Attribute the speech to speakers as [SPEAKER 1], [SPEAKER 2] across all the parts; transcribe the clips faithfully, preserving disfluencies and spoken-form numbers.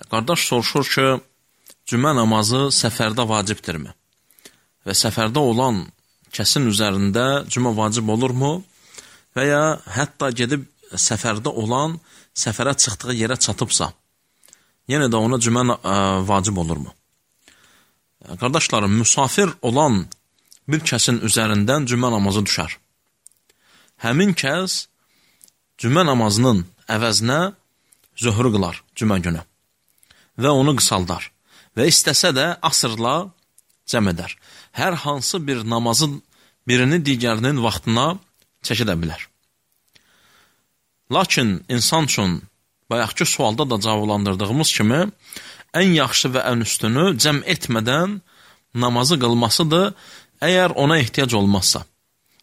[SPEAKER 1] Qardaş soruşur ki, cümə namazı səfərdə vacibdirmi? Və səfərdə olan kəsin üzərində cümə vacib olurmu? Və ya hətta gedib səfərdə olan, səfərə çıxdığı yerə çatıbsa, yenə də ona cümə vacib olurmu? Qardaşlarım, müsafir olan bir kəsin üzərindən cümə namazı düşər. Həmin kəs cümə namazının əvəzinə zöhrü qılar cümə günü və onu qısaldar və istəsə də asırla cəm edər. Hər hansı bir namazın birini digərinin vaxtına çəkidə bilər. Lakin insan üçün bayaqki sualda da cavablandırdığımız kimi ən yaxşı və ən üstünü cəm etmədən namazı qılmasıdır, əgər ona ehtiyac olmazsa.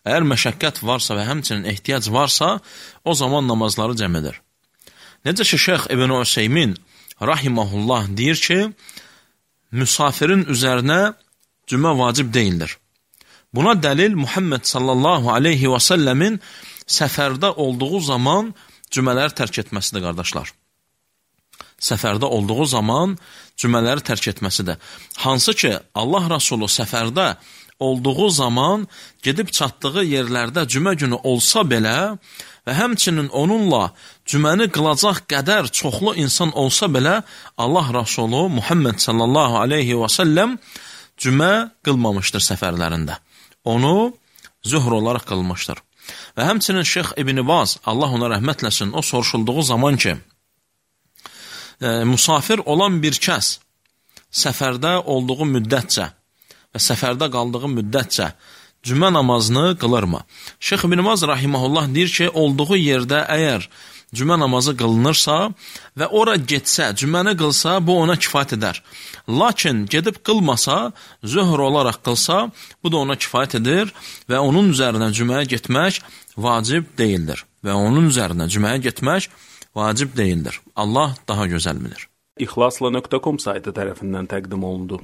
[SPEAKER 1] Əgər məşəqqət varsa və həmçinin ehtiyac varsa, o zaman namazları cəm edir. Necə ki, Şeyx İbn Üseymin rahiməhullah deyir ki, müsafirin üzərinə cümə vacib deyildir. Buna dəlil Muhammed sallallahu aleyhi və səlləmin səfərdə olduğu zaman cümələri tərk etməsidir, qardaşlar. Səfərdə olduğu zaman cümələri tərk etməsidir. Hansı ki, Allah Rasulü səfərdə olduğu zaman gedib çatdığı yerlərdə cümə günü olsa belə və həmçinin onunla cüməni qılacaq qədər çoxlu insan olsa belə, Allah Rasulü Muhammed sallallahu aleyhi və səlləm cümə qılmamışdır səfərlərində. Onu zöhr olaraq qılmışdır. Və həmçinin Şeyx İbn Baz, Allah ona rəhmətləsin, o soruşulduğu zaman ki, e, musafir olan bir kəs səfərdə olduğu müddətcə və səfərdə qaldığı müddətcə cümə namazını qılırmı? Şeyx İbn Baz rahiməhullah deyir ki, olduğu yerdə əgər cümə namazı qılınırsa və ora getsə, cüməni qılsa, bu ona kifayət edər. Lakin gedib qılmasa, zöhr olaraq qılsa, bu da ona kifayət edir və onun üzərinə cüməyə getmək vacib deyildir. Və onun üzərinə cüməyə getmək vacib deyildir. Allah daha gözəl bilir.
[SPEAKER 2] İxlasla nöqtə com saytı tərəfindən təqdim olundu.